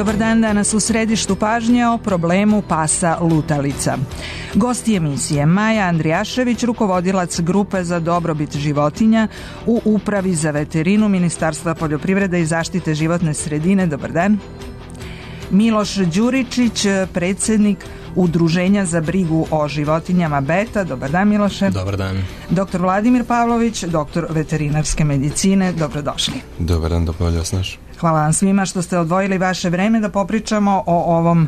Dobar dan, danas u središtu pažnje o problemu pasa lutalica. Gosti emisije Maja Andrijašević, rukovodilac grupe za dobrobit životinja u Upravi za veterinu Ministarstva poljoprivrede i zaštite životne sredine. Dobar dan. Miloš Đuričić, predsjednik Udruženja za brigu o životinjama Beta. Dobar dan, Miloše. Dobar dan. Doktor Vladimir Pavlović, doktor veterinarske medicine. Dobrodošli. Dobar dan, dobro vas naš. Hvala vam svima što ste odvojili vaše vreme da popričamo o ovom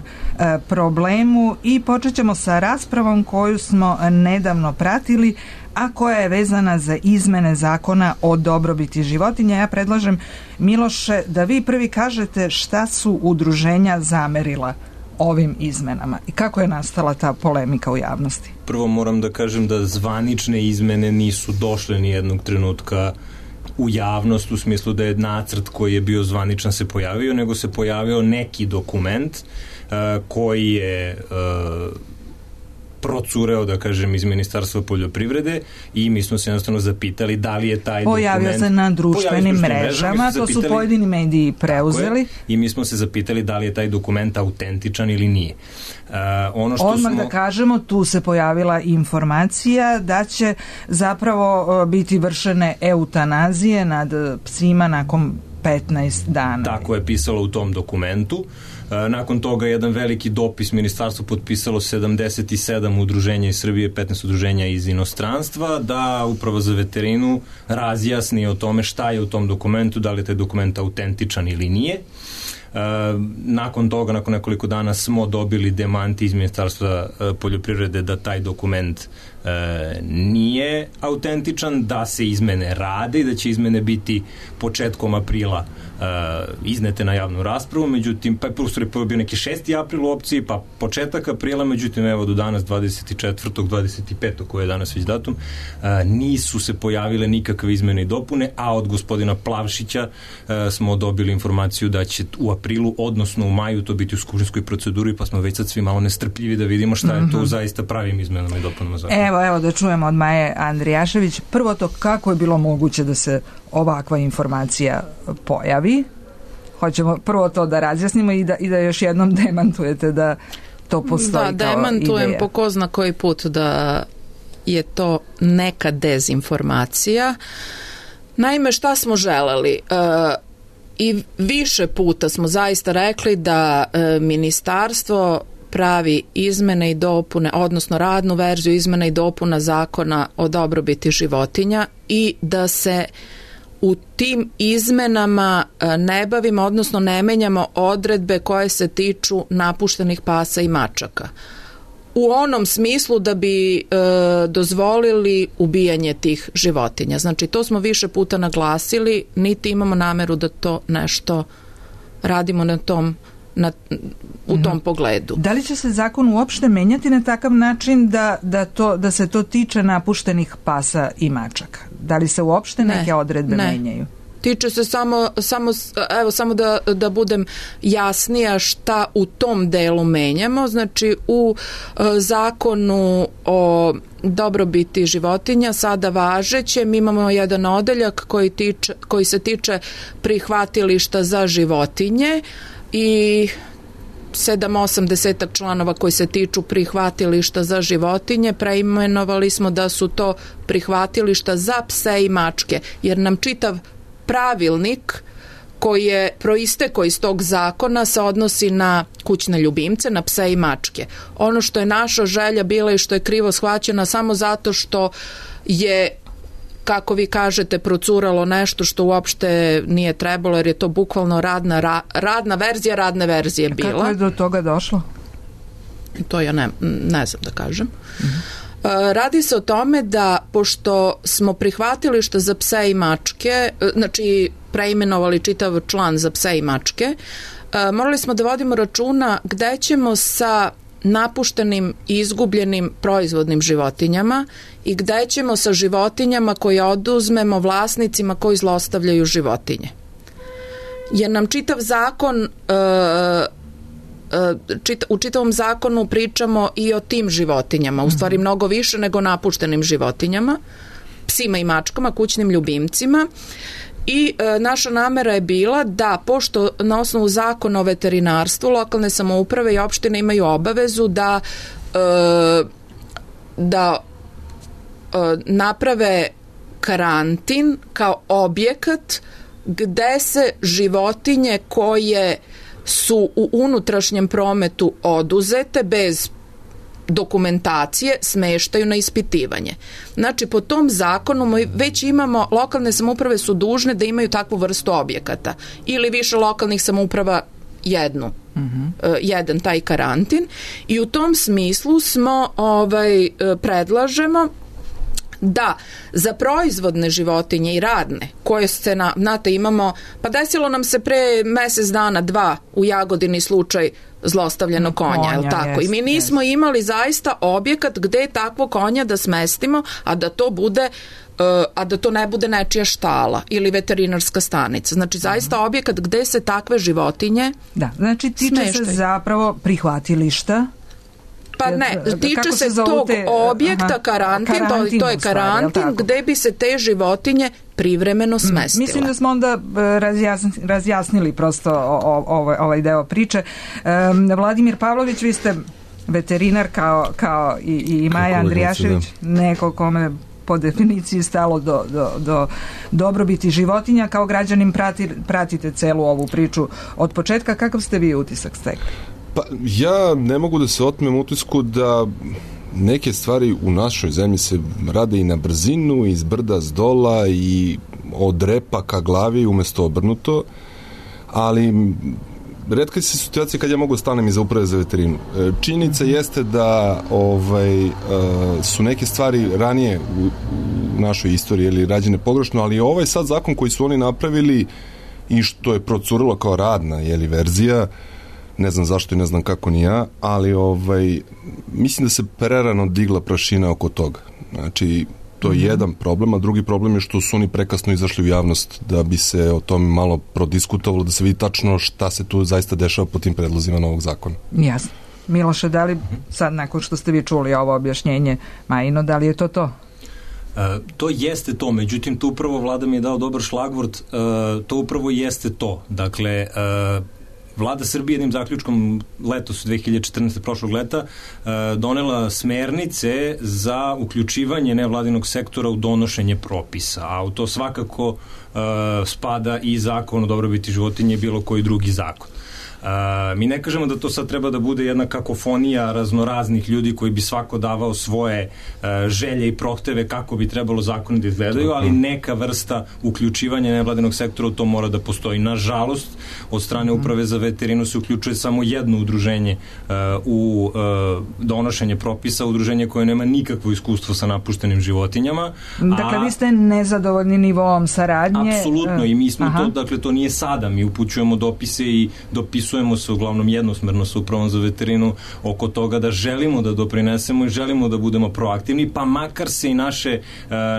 problemu i počet ćemo sa raspravom koju smo nedavno pratili, a koja je vezana za izmene zakona o dobrobiti životinja. Ja predlažem, Miloše, da vi prvi kažete šta su udruženja zamerila ovim izmenama i kako je nastala ta polemika u javnosti. Prvo moram da kažem da zvanične izmene nisu došle ni jednog trenutka u javnost, u smislu da je nacrt koji je bio zvaničan se pojavio, nego se pojavio neki dokument koji je procureo, da kažem, iz Ministarstva poljoprivrede i mi smo se jednostavno zapitali da li je taj pojavio se na društvenim mrežama, to su pojedini mediji preuzeli. I mi smo se zapitali da li je taj dokument autentičan ili nije. Odmah da kažemo, tu se pojavila informacija da će zapravo biti vršene eutanazije nad psima nakon 15 dana. Tako je pisalo u tom dokumentu. Nakon toga jedan veliki dopis ministarstvo potpisalo 77 udruženja iz Srbije, 15 udruženja iz inostranstva, da Uprava za veterinu razjasni o tome šta je u tom dokumentu, da li je taj dokument autentičan ili nije. Nakon toga, nakon nekoliko dana smo dobili demanti iz Ministarstva poljoprivrede da taj dokument nije autentičan, da se izmene rade i da će izmene biti početkom aprila iznete na javnu raspravu, međutim, pa je bio neki 6. april u opciji, pa početak aprila, međutim, evo do danas 24. 25. koji je danas već datum, nisu se pojavile nikakve izmene i dopune, a od gospodina Plavšića smo dobili informaciju da će u aprilu, odnosno u maju to biti u skupštinskoj proceduri, pa smo već sad svi malo nestrpljivi da vidimo šta je to zaista pravim izmenama i dopunama zakona. Evo da čujemo od Maje Andrijašević. Prvo to, kako je bilo moguće da se ovakva informacija pojavi? Hoćemo prvo to da razjasnimo i da još jednom demantujete da to postoji kao ideja. Da, demantujem po ko zna koji put da je to neka dezinformacija. Naime, šta smo želeli? I više puta smo zaista rekli da ministarstvo pravi izmene i dopune, odnosno radnu verziju izmena i dopuna zakona o dobrobiti životinja i da se u tim izmenama ne bavimo, odnosno ne menjamo odredbe koje se tiču napuštenih pasa i mačaka. U onom smislu da bi dozvolili ubijanje tih životinja. Znači, to smo više puta naglasili, niti imamo nameru da to nešto radimo u tom pogledu. Da li će se zakon uopšte menjati na takav način da se to tiče napuštenih pasa i mačaka? Da li se uopšte neke odredbe menjaju? Tiče se samo da budem jasnija šta u tom delu menjamo. Znači, u zakonu o dobrobiti životinja sada važećem imamo jedan odeljak koji se tiče prihvatilišta za životinje i 7-8 članova koji se tiču prihvatilišta za životinje. Preimenovali smo da su to prihvatilišta za pse i mačke, jer nam čitav pravilnik koji je proistekao iz tog zakona se odnosi na kućne ljubimce, na pse i mačke. Ono što je naša želja bila i što je krivo shvaćena samo zato što je, kako vi kažete, procuralo nešto što uopšte nije trebalo, jer je to bukvalno radna verzija radne verzije bila. Kako je do toga došlo? To ja ne znam da kažem. Radi se o tome da, pošto smo prihvatilišta za pse i mačke, znači preimenovali čitav član za pse i mačke, morali smo da vodimo računa gde ćemo sa napuštenim i izgubljenim proizvodnim životinjama i gde ćemo sa životinjama koje oduzmemo vlasnicima koji zlostavljaju životinje. Jer nam čitav zakon, u čitavom zakonu pričamo i o tim životinjama, u stvari mnogo više nego napuštenim životinjama, psima i mačkama, kućnim ljubimcima, I naša namera je bila da, pošto na osnovu zakona o veterinarstvu lokalne samouprave i opštine imaju obavezu da naprave karantin kao objekat gde se životinje koje su u unutrašnjem prometu oduzete bez dokumentacije smeštaju na ispitivanje. Znači, po tom zakonu već imamo, lokalne samouprave su dužne da imaju takvu vrstu objekata ili više lokalnih samouprava jedan taj karantin, i u tom smislu smo predlažemo da za proizvodne životinje i radne, koje se imamo, pa desilo nam se pre mesec dana, 2 u Jagodini slučaj zlostavljenog konja, je li tako? I mi nismo imali zaista objekat gde je takvo konja da smestimo, a da to ne bude nečija štala ili veterinarska stanica. Znači, zaista objekat gde se takve životinje znači tiče se zapravo prihvatilišta. Pa ne, tiče se tog objekta, karantin, to je karantin gde bi se te životinje privremeno smestile. Mislim da smo onda razjasnili prosto ovaj deo priče. Vladimir Pavlović, vi ste veterinar kao i Maja Andrijašević, neko kome po definiciji stalo do dobrobiti životinja. Kao građanin pratite celu ovu priču od početka. Kakav ste vi utisak stekli? Pa ja ne mogu da se otmem utisku da neke stvari u našoj zemlji se rade i na brzinu, iz brda s dola i od repa ka glavi umesto obrnuto, ali retka se situacija kad ja mogu stanem iza uprave za veterinu. Činjenica jeste da su neke stvari ranije u našoj istoriji ili rađene pogrešno, ali ovaj sad zakon koji su oni napravili i što je procurilo kao radna verzija, ne znam zašto i ne znam kako ni ja, ali mislim da se prerano digla prašina oko toga. Znači, to je jedan problem, a drugi problem je što su oni prekasno izašli u javnost da bi se o tome malo prodiskutovalo, da se vidi tačno šta se tu zaista dešava po tim predlozima novog zakona. Jasno. Miloše, da li sad, nakon što ste vi čuli ovo objašnjenje Majino, da li je to? To jeste to, međutim, tu upravo Vlada mi je dao dobar šlagvort, to upravo jeste to. Dakle, Vlada Srbije jednim zaključkom letos 2014. prošlog leta donela smernice za uključivanje nevladinog sektora u donošenje propisa, a u to svakako spada i zakon o dobrobiti životinje i bilo koji drugi zakon. Mi ne kažemo da to sad treba da bude jedna kakofonija raznoraznih ljudi koji bi svako davao svoje želje i prohteve kako bi trebalo zakoni da izgledaju, ali neka vrsta uključivanja nevladinog sektora u to mora da postoji. Nažalost, od strane Uprave za veterinu se uključuje samo jedno udruženje u donošenje propisa, udruženje koje nema nikakvo iskustvo sa napuštenim životinjama. Dakle, vi ste nezadovoljni nivoom saradnje? Apsolutno, i mi smo to, dakle, to nije sada, mi upućujemo dopise i dopisujemo se uglavnom jednosmerno sa Upravom za veterinu oko toga da želimo da doprinesemo i želimo da budemo proaktivni, pa makar se i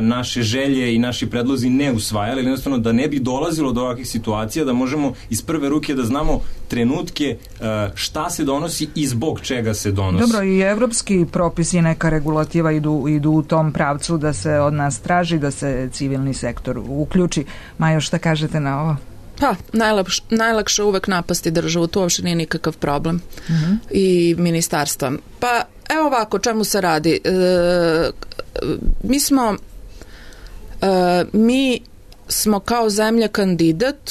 naše želje i naši predlozi ne usvajali, jednostavno da ne bi dolazilo do ovakvih situacija, da možemo iz prve ruke da znamo trenutke šta se donosi i zbog čega se donosi. Dobro, i evropski propisi, neka regulativa idu u tom pravcu da se od nas traži da se civilni sektor uključi. Majo, šta kažete na ovo? Pa, najlakše uvek napasti državu, to uopšte nije nikakav problem. I ministarstva. Pa, evo ovako, čemu se radi? Mi smo kao zemlja kandidat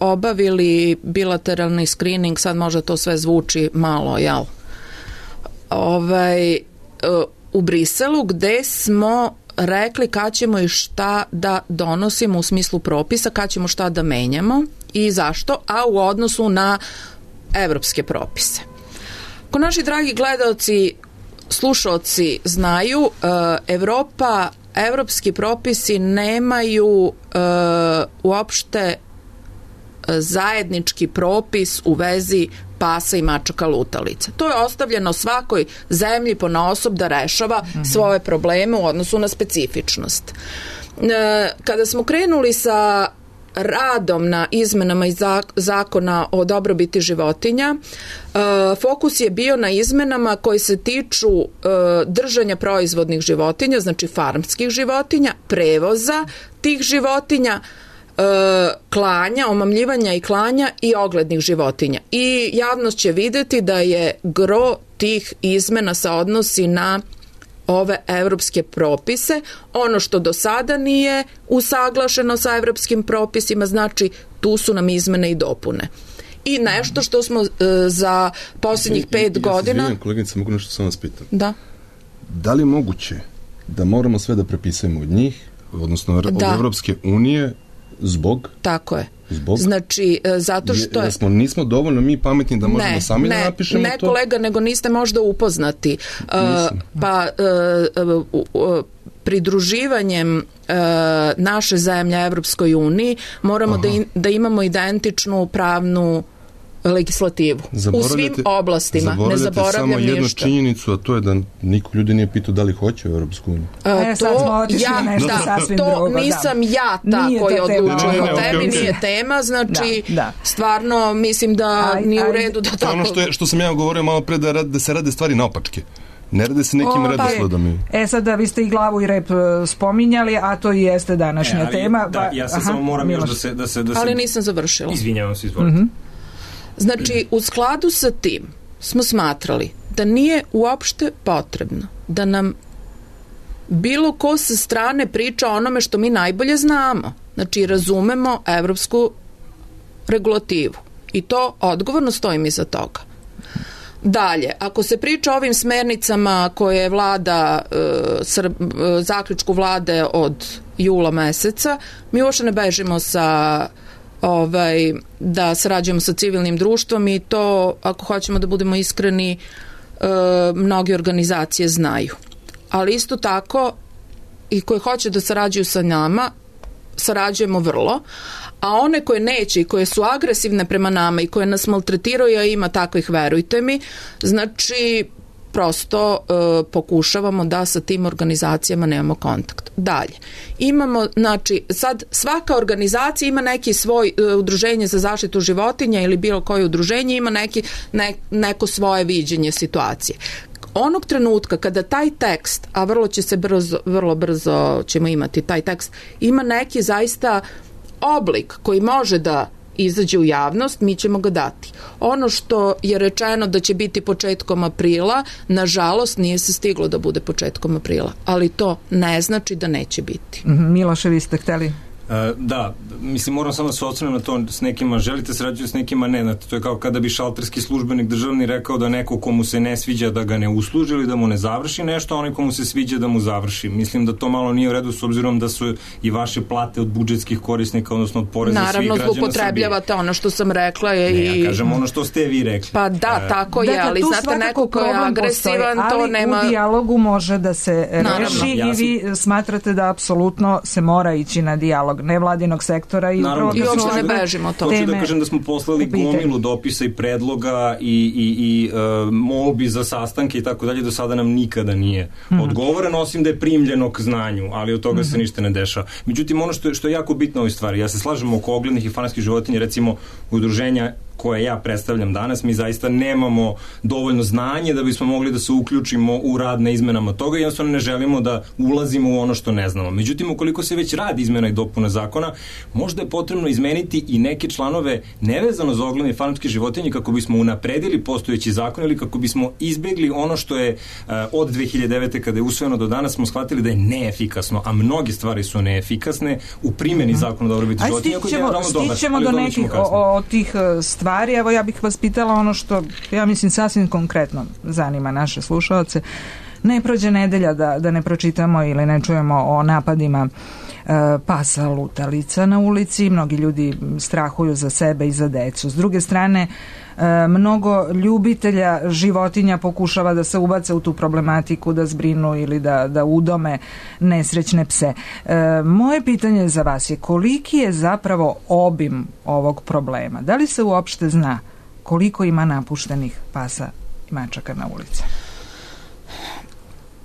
obavili bilateralni screening, sad možda to sve zvuči malo, jel? U Briselu, gde smo rekli kad ćemo i šta da donosimo u smislu propisa, kad ćemo šta da menjamo i zašto, a u odnosu na evropske propise. Ko naši dragi gledaoci, slušaoci znaju, evropski propisi nemaju uopšte zajednički propis u vezi pasa i mačaka lutalica. To je ostavljeno svakoj zemlji ponaosob da rešava svoje probleme u odnosu na specifičnost. Kada smo krenuli sa radom na izmenama iz zakona o dobrobiti životinja, fokus je bio na izmenama koji se tiču držanja proizvodnih životinja, znači farmskih životinja, prevoza tih životinja, klanja, omamljivanja i klanja i oglednih životinja. I javnost će vidjeti da je gro tih izmena se odnosi na ove evropske propise. Ono što do sada nije usaglašeno sa evropskim propisima, znači tu su nam izmene i dopune. I nešto što smo za posljednjih 5 godina... Ja se kolegice, mogu nešto samo vas pitam? Da. Da li je moguće da moramo sve da prepisujemo od njih, odnosno od Evropske unije, zbog? Tako je. Zbog? Znači, zato što je... Nismo dovoljno mi pametni da možemo sami da napišemo to? Ne, kolega, nego niste možda upoznati. Pridruživanjem naše zemlje Evropskoj uniji moramo da imamo identičnu pravnu legislativu. U svim oblastima. Ne zaboravljam samo jednu ništa. Činjenicu, a to je da niko ljudi nije pitao da li hoće u Evropsku uniju. To nisam ja ta koja odlučuje o temi, nije tema, znači stvarno mislim da nije u redu da tako... Ono što sam ja govorio malo pre, da se rade stvari naopačke. Ne rade se nekim redosledom. Sada vi ste i glavu i rep spominjali, a to i jeste današnja tema. Ja se samo moram još da se... Ali nisam završila. Izvinjavam se, izvolite. Znači, u skladu sa tim smo smatrali da nije uopšte potrebno da nam bilo ko sa strane priča o onome što mi najbolje znamo. Znači, razumemo evropsku regulativu. I to odgovorno stojim iza toga. Dalje, ako se priča o ovim smernicama koje je vlada, zaključku vlade od jula meseca, mi uopšte ne bežimo sa da sarađujemo sa civilnim društvom i to, ako hoćemo da budemo iskreni, mnoge organizacije znaju. Ali isto tako i koje hoće da sarađuju sa nama, sarađujemo vrlo, a one koje neće i koje su agresivne prema nama i koje nas maltretiraju, a ima takvih, verujte mi, znači prosto pokušavamo da sa tim organizacijama nemamo kontakt. Dalje, imamo, znači, sad svaka organizacija ima neki svoj udruženje za zaštitu životinja ili bilo koje udruženje ima neko svoje viđenje situacije. Onog trenutka kada taj tekst, a vrlo brzo ćemo imati taj tekst, ima neki zaista oblik koji može da izađe u javnost, mi ćemo ga dati. Ono što je rečeno da će biti početkom aprila, nažalost nije se stiglo da bude početkom aprila, ali to ne znači da neće biti. Miloše, vi ste hteli? Da, mislim, moram samo da se osvrnem na to, s nekima želite sarađuju, s nekima ne. Znate, to je kao kada bi šalterski službenik državni rekao da neko komu se ne sviđa da ga ne usluži ili da mu ne završi nešto, a onaj komu se sviđa da mu završi. Mislim da to malo nije u redu, s obzirom da su i vaše plate od budžetskih korisnika, odnosno od poreza svih građana Srbije. Naravno, zloupotrebljavate ono što sam rekla. Ja kažem ono što ste vi rekli. Pa da, tako je, ali znate, neko ko je agresivan, to nema... Ali u dijalogu može da se reši i vi smatrate da apsolutno se mora ići na dijalog nevladinog sektora i uopšte ne bežimo to. Hoću da kažem da smo poslali gomilu dopisa i predloga i molbi za sastanke i tako dalje, do sada nam nikada nije odgovoreno, osim da je primljeno k znanju, ali od toga se ništa ne dešava. Međutim, ono što je jako bitno u ovoj stvari, ja se slažem oko oglednih i fanatskih životinja, recimo udruženja koje ja predstavljam danas, mi zaista nemamo dovoljno znanje da bismo mogli da se uključimo u rad na izmenama toga i jednostavno ne želimo da ulazimo u ono što ne znamo. Međutim, ukoliko se već radi izmena i dopuna zakona, možda je potrebno izmeniti i neke članove nevezano za ogledne i fanatske životinje kako bismo unapredili postojeći zakon ili kako bismo izbegli ono što je od 2009. kada je usvojeno do danas smo shvatili da je neefikasno, a mnoge stvari su neefikasne u primjeni zakona o dobrobiti životinja. Stićemo do nekih od tih stvari. Evo, ja bih vas pitala ono što, ja mislim, sasvim konkretno zanima naše slušalce. Ne prođe nedelja da ne pročitamo ili ne čujemo o napadima pasa lutalica na ulici. Mnogi ljudi strahuju za sebe i za decu. S druge strane, mnogo ljubitelja životinja pokušava da se ubace u tu problematiku, da zbrinu ili da udome nesrećne pse. Moje pitanje za vas je koliki je zapravo obim ovog problema? Da li se uopšte zna koliko ima napuštenih pasa i mačaka na ulici?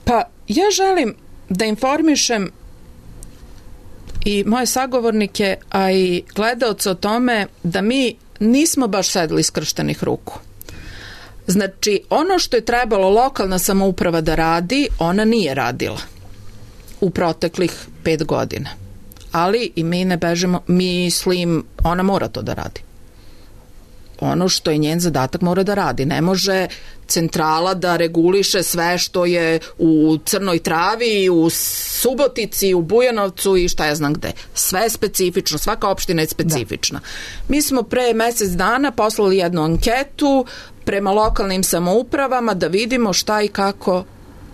Pa, ja želim da informišem i moje sagovornike, a i gledaoce o tome da mi nismo baš sedli skrštenih ruku. Znači, ono što je trebalo lokalna samouprava da radi, ona nije radila u proteklih 5 godina. ali i mi ne bežemo, mislim, ona mora to da radi. Ono što je njen zadatak mora da radi. Ne može centrala da reguliše sve što je u Crnoj Travi, u Subotici, u Bujanovcu i šta ja znam gde. Sve je specifično, svaka opština je specifična. Mi smo pre mesec dana poslali jednu anketu prema lokalnim samoupravama da vidimo šta i kako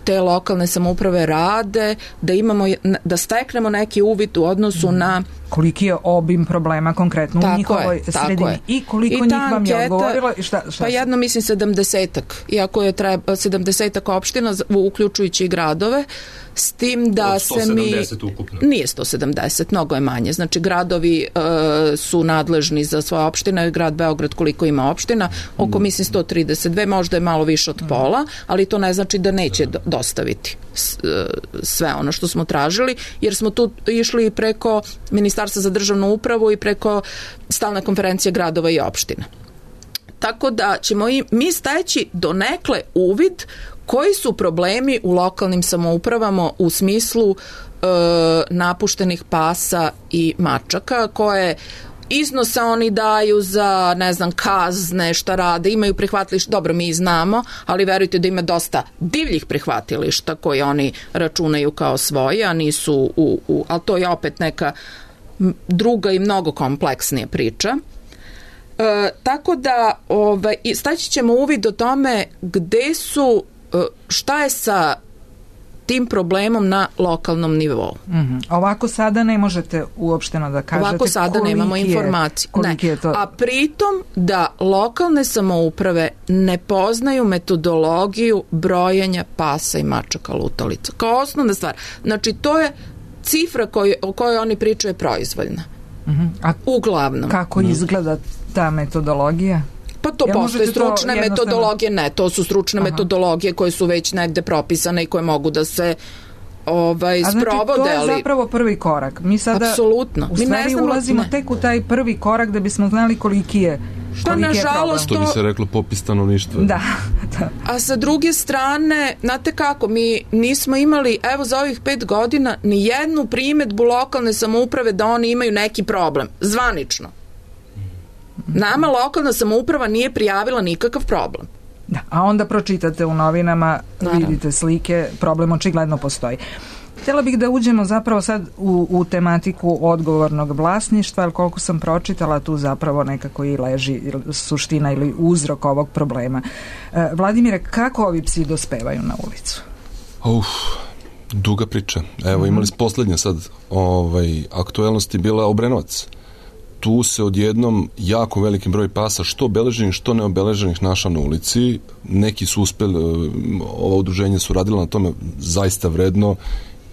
te lokalne samouprave rade, da steknemo neki uvid u odnosu na koliki je obim problema konkretno u njihovoj sredini i koliko njih vam je odgovorilo i šta pa jedno mislim 70-ak, iako je 70-ak opština uključujući i gradove, s tim da se mi 170 ukupno. Nije 170, mnogo je manje. Znači gradovi su nadležni za svoje opštine, grad Beograd koliko ima opština, oko mislim 132, možda je malo više od pola, ali to ne znači da neće dostaviti sve ono što smo tražili, jer smo tu išli preko Ministarstva za državnu upravu i preko stalne konferencije gradova i opština. Tako da ćemo mi steći donekle uvid koji su problemi u lokalnim samoupravama u smislu napuštenih pasa i mačaka, koje iznose oni daju za, ne znam, kazne, šta rade, imaju prihvatilišta, dobro, mi znamo, ali verujte da ima dosta divljih prihvatilišta koje oni računaju kao svoje, a nisu ali to je opet neka druga i mnogo kompleksnija priča. Tako da staći ćemo uvid o tome gde su, šta je sa tim problemom na lokalnom nivou. Ovako sada ne možete uopšteno da kažete ovako sada nemamo informaciju. A pritom da lokalne samouprave ne poznaju metodologiju brojenja pasa i mačaka lutalica. Kao osnovna stvar. Znači to je cifra o kojoj oni pričaju je proizvoljna. A uglavnom. Kako izgleda ta metodologija? Pa to postoje stručne metodologije, ne, to su stručne metodologije koje su već negde propisane i koje mogu da se sprovode. To je zapravo prvi korak. Mi sada apsolutno. U stvari ulazimo tek u taj prvi korak da bismo znali koliki je problem. Što bi se reklo popis stanovništva. Da. A sa druge strane, znate kako, mi nismo imali, evo za ovih 5 godina, ni jednu primedbu lokalne samouprave da oni imaju neki problem. Zvanično. Nama lokalna samouprava nije prijavila nikakav problem. Da, a onda pročitate u novinama, vidite slike, problem očigledno postoji. Htjela bih da uđemo zapravo sad u tematiku odgovornog vlasništva, ali koliko sam pročitala, tu zapravo nekako i leži suština ili uzrok ovog problema. Vladimire, kako ovi psi dospevaju na ulicu? Duga priča. Evo, imali smo poslednja sad aktuelnosti bila Obrenovac. Tu se odjednom jako veliki broj pasa, što obeleženih, što neobeleženih, našao na ulici. Neki su uspeli, ova udruženja su radila na tome zaista vredno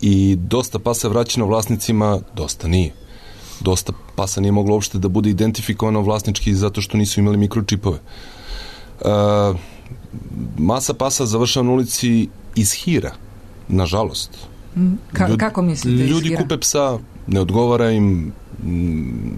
i dosta pasa je vraćeno vlasnicima, dosta nije. Dosta pasa nije moglo uopšte da bude identifikovano vlasnički zato što nisu imali mikročipove. Masa pasa završava na ulici iz hira, nažalost. Kako mislite iz hira? Ljudi kupe psa, ne odgovara im,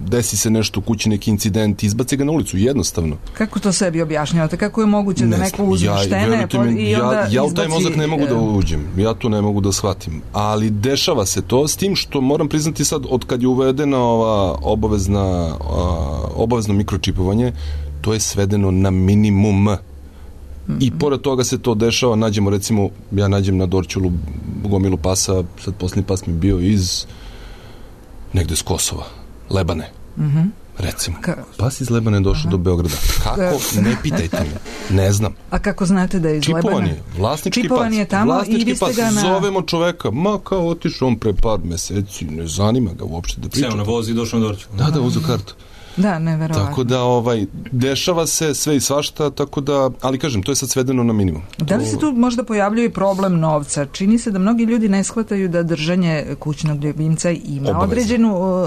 desi se nešto u kući, neki incident, izbace ga na ulicu, jednostavno. Kako to sebi objašnjavate? Kako je moguće da neko uzme štene i onda ja u taj mozak ne mogu da uđem, ja to ne mogu da shvatim, ali dešava se to, s tim što moram priznati sad, od kad je uvedena ova obavezno mikročipovanje, to je svedeno na minimum. I pored toga se to dešava, ja nađem na Dorćolu gomilu pasa, sad posljednji pas mi bio iz negde s Kosova, Lebane, recimo. Pas iz Lebane je došao do Beograda. Kako? Ne pitajte me, ne znam. A kako znate da je iz Lebane? Čipovan je, vlasnički pas. Je tamo i vi ste ga zovemo čoveka, kao otišao on pre par meseci, ne zanima ga uopšte da priča. Seo na voz i došao na Dorćolu. Da, uzeo kartu. Da, neverovatno. Tako da dešava se sve i svašta, tako da, ali kažem, to je sad svedeno na minimum. Da li se tu možda pojavljuje problem novca? Čini se da mnogi ljudi ne shvataju da držanje kućnog ljubimca ima određenu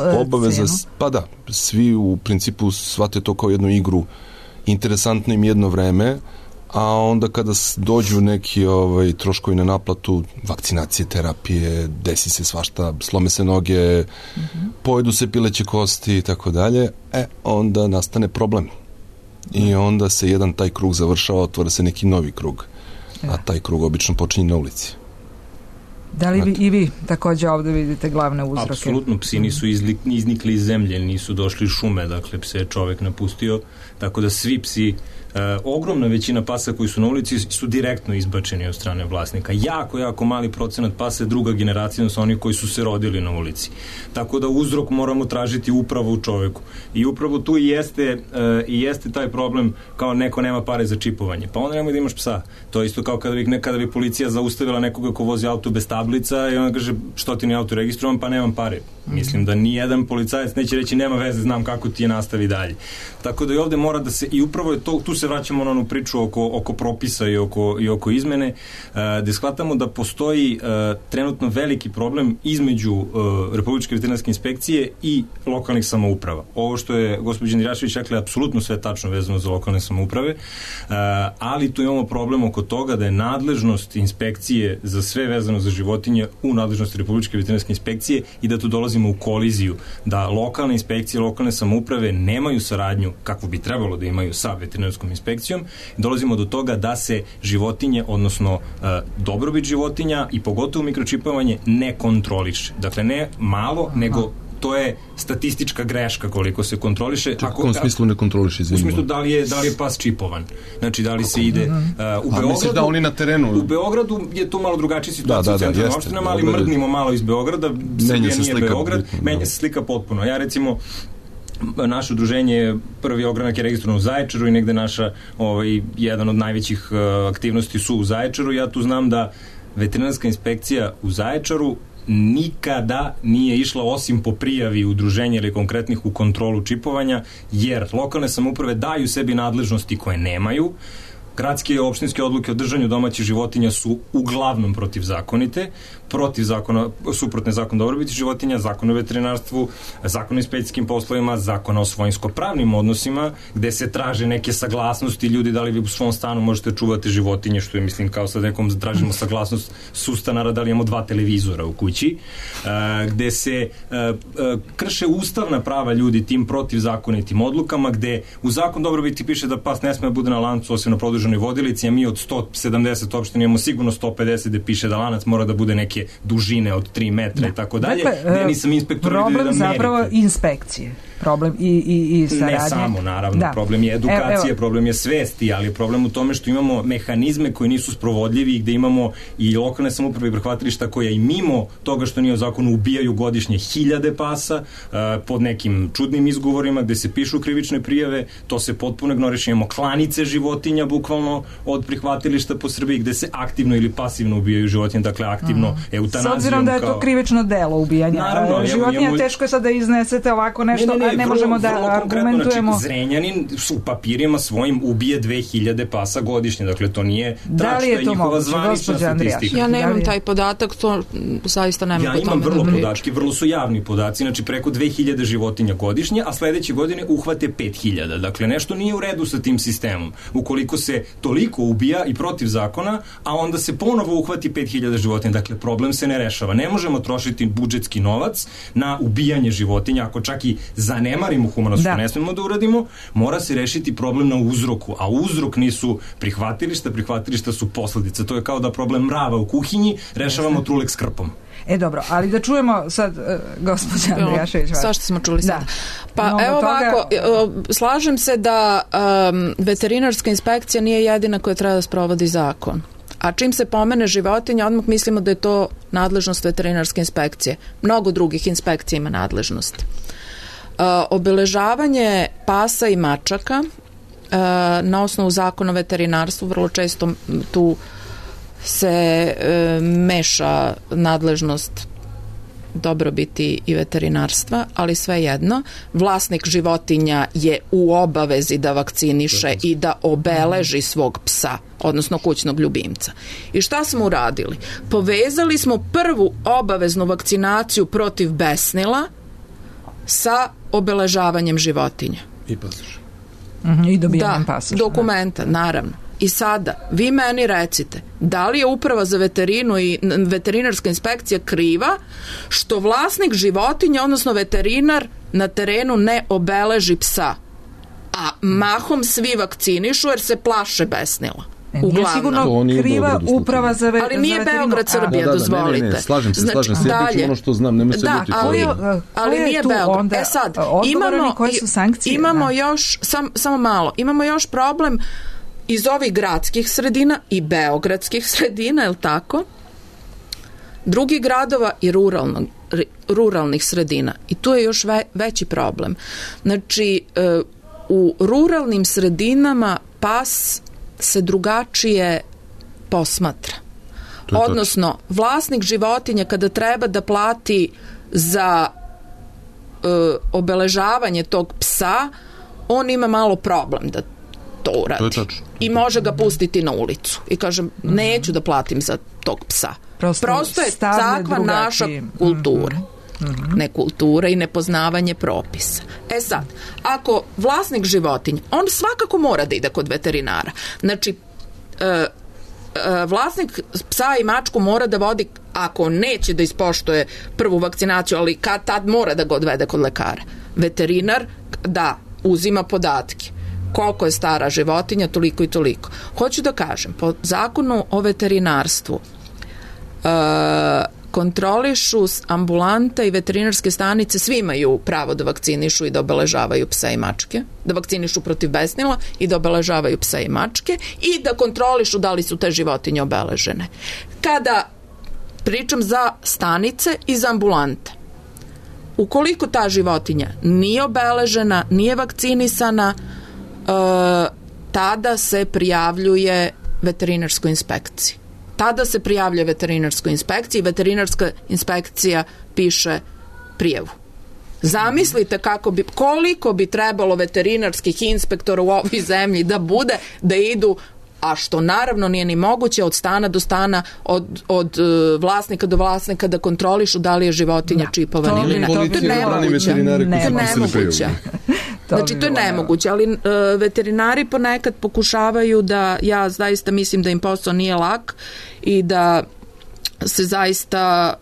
cenu. Pa da, svi u principu shvate to kao jednu igru, interesantno im jedno vreme, a onda kada dođu neki troškovi na naplatu, vakcinacije, terapije, desi se svašta, slome se noge, pojedu se pileće kosti i tako dalje, onda nastane problem. I onda se jedan taj krug završava, otvara se neki novi krug. A taj krug obično počinje na ulici. Da li i vi takođe ovde vidite glavne uzroke? Apsolutno, psi nisu iznikli iz zemlje, nisu došli iz šume, dakle pse je čovek napustio, tako da svi psi, ogromna većina pasa koji su na ulici su direktno izbačeni od strane vlasnika. Jako mali procenat pasa je druga generacija, su oni koji su se rodili na ulici. Tako da uzrok moramo tražiti upravo u čoveku. I upravo tu i jeste taj problem, kao neko nema pare za čipovanje. Pa onda nemoj da imaš psa. To je isto kao kada bi policija zaustavila nekoga ko vozi auto bez tablica i on kaže što ti ni auto registrovan, pa nemam pare. Mislim da ni jedan policajac neće reći nema veze, znam kako ti je, nastavi dalje. Tako da i ovde mora da se, i upravo je to, tu se vraćamo na onu priču oko propisa i oko izmene, gde shvatamo da postoji trenutno veliki problem između Republičke veterinarske inspekcije i lokalnih samouprava. Ovo što je gospođa Nirašević rekla je apsolutno sve tačno vezano za lokalne samouprave, ali tu imamo problem oko toga da je nadležnost inspekcije za sve vezano za životinje u nadležnosti Republičke veterinarske inspekcije i da tu dolazimo u koliziju, da lokalne inspekcije, lokalne samouprave nemaju saradnju kakvu bi trebalo da imaju sa veterinarskom inspekcijom. Dolazimo do toga da se životinje, odnosno dobrobit životinja i pogotovo mikročipovanje ne kontroliše. Dakle, ne malo, nego to je statistička greška koliko se kontroliše. U kom smislu ne kontroliše? U smislu da li je pas čipovan. Znači, da li se ide u Beogradu. Misliš da oni na terenu? U Beogradu je to malo drugačija situacija u centralnim opštinama, ali mrdnimo malo iz Beograda. Srbija nije Beograd. Menja se slika potpuno. Ja recimo, naše udruženje, prvi ogranak je registrovan u Zaječaru i negde naša jedan od najvećih aktivnosti su u Zaječaru. Ja tu znam da veterinarska inspekcija u Zaječaru nikada nije išla osim po prijavi udruženja ili konkretnih u kontrolu čipovanja, jer lokalne samouprave daju sebi nadležnosti koje nemaju. Gradske i opštinske odluke o držanju domaćih životinja su uglavnom protivzakonite, protiv zakona, suprotne zakon dobrobiti životinja, zakon o veterinarstvu, zakon o inspekcijskim poslovima, zakon o svojinsko-pravnim odnosima, gde se traže neke saglasnosti ljudi, da li vi u svom stanu možete čuvati životinje, što je, mislim, kao sad nekom tražimo saglasnost sustanara, da li imamo 2 televizora u kući, gde se krše ustavna prava ljudi tim protivzakonitim odlukama, gde u zakon dobrobiti piše da pas ne sme da bude na lancu osim na produženoj vodilici, a mi od 170 opština imamo sigurno 150 gde piše da lanac mora da bude neke dužine od 3 metra i tako dalje. Dakle, nisam inspektor da problem zapravo inspekcije. Problem i saradnje. Ne samo, naravno. Da. Problem je edukacija, problem je svesti, ali je problem u tome što imamo mehanizme koji nisu sprovodljivi i gde imamo i lokalne samouprave i prihvatilišta koja i mimo toga što nije u zakonu ubijaju godišnje 1000 pasa pod nekim čudnim izgovorima gde se pišu krivične prijave, to se potpuno ignoriše. Imamo klanice životinja bukvalno od prihvatilišta po Srbiji gde se aktivno ili pasivno ubijaju životinje, dakle aktivno eutanazijom. S obzirom da je to krivično delo ubijanja. Naravno, životinja teško je sad da iznesete ovako nešto, ne možemo da argumentujemo. Znači, Zrenjanin u papirima svojim ubije 2000 pasa godišnje, dakle to nije trač, to je njihova zvanična statistika. Ja nemam taj podatak, to zaista nemam po tome da pričam. Ja imam vrlo podatke, vrlo su javni podaci, znači preko 2000 životinja godišnje, a sledeće godine uhvate 5000. Dakle, nešto nije u redu sa tim sistemom. Ukoliko se toliko ubija i protiv zakona, a onda se ponovo uhvati 5000 životinja, dakle problem se ne rešava. Ne možemo trošiti budžetski novac na ubijanje životinja, ako čak i zanemarimo humanost, što ne smemo da uradimo, mora se rešiti problem na uzroku, a uzrok nisu prihvatilišta su posledica. To je kao da problem mrava u kuhinji rešavamo trulek s krpom. Dobro, ali da čujemo sad gospođa Andrijašević. Šta što smo čuli sad? Pa evo ovako, slažem se da veterinarska inspekcija nije jedina koja treba da sprovodi zakon. A čim se pomene životinja, odmah mislimo da je to nadležnost veterinarske inspekcije. Mnogo drugih inspekcija ima nadležnost. Obeležavanje pasa i mačaka na osnovu zakona o veterinarstvu, vrlo često tu se meša nadležnost dobrobiti i veterinarstva, ali svejedno vlasnik životinja je u obavezi da vakciniše i da obeleži svog psa, odnosno kućnog ljubimca. I šta smo uradili? Povezali smo prvu obaveznu vakcinaciju protiv besnila sa obeležavanjem životinja. I pasoša. I dobijanjem pasoša. Dokumenta, naravno. I sada, vi meni recite, da li je uprava za veterinu i veterinarska inspekcija kriva što vlasnik životinja, odnosno veterinar, na terenu ne obeleži psa, a mahom svi vakcinišu jer se plaše besnila? Nije sigurno kriva uprava za veterinu. Ali nije Beograd Srbija, dozvolite. Ne, slažem se, sve ono što znam, nema se ljuti. Ali nije Beograd. Sad, imamo još, samo malo, imamo još problem iz ovih gradskih sredina i beogradskih sredina, je li tako? Drugih gradova i ruralnih sredina. I tu je još veći problem. Znači, u ruralnim sredinama pas se drugačije posmatra. Odnosno, vlasnik životinje kada treba da plati za obeležavanje tog psa, on ima malo problem da to uradi. I može ga pustiti na ulicu. I kažem, neću da platim za tog psa. Prosto je takva naša kultura. Nekultura i nepoznavanje propisa. Sad, ako vlasnik životinja, on svakako mora da ide kod veterinara. Znači, vlasnik psa i mačku mora da vodi, ako neće da ispoštuje prvu vakcinaciju, ali kad tad mora da ga odvede kod lekara. Veterinar, da, uzima podatke. Koliko je stara životinja, toliko i toliko. Hoću da kažem, po zakonu o veterinarstvu kontrolišu ambulante i veterinarske stanice, svi imaju pravo da vakcinišu i da obeležavaju psa i mačke, da vakcinišu protiv besnila i da obeležavaju psa i mačke i da kontrolišu da li su te životinje obeležene. Kada pričam za stanice i za ambulante, ukoliko ta životinja nije obeležena, nije vakcinisana, tada se prijavljuje veterinarskoj inspekciji. Tada se prijavlja veterinarskoj inspekciji i veterinarska inspekcija piše prijavu. Zamislite koliko bi trebalo veterinarskih inspektora u ovoj zemlji da bude, da idu, a što naravno nije ni moguće, od stana do stana, od vlasnika do vlasnika da kontrolišu da li je životinja čipovana ili ne. To je nemoguće. Znači, to je nemoguće, ali veterinari ponekad pokušavaju da, ja zaista mislim da im posao nije lak i da se zaista,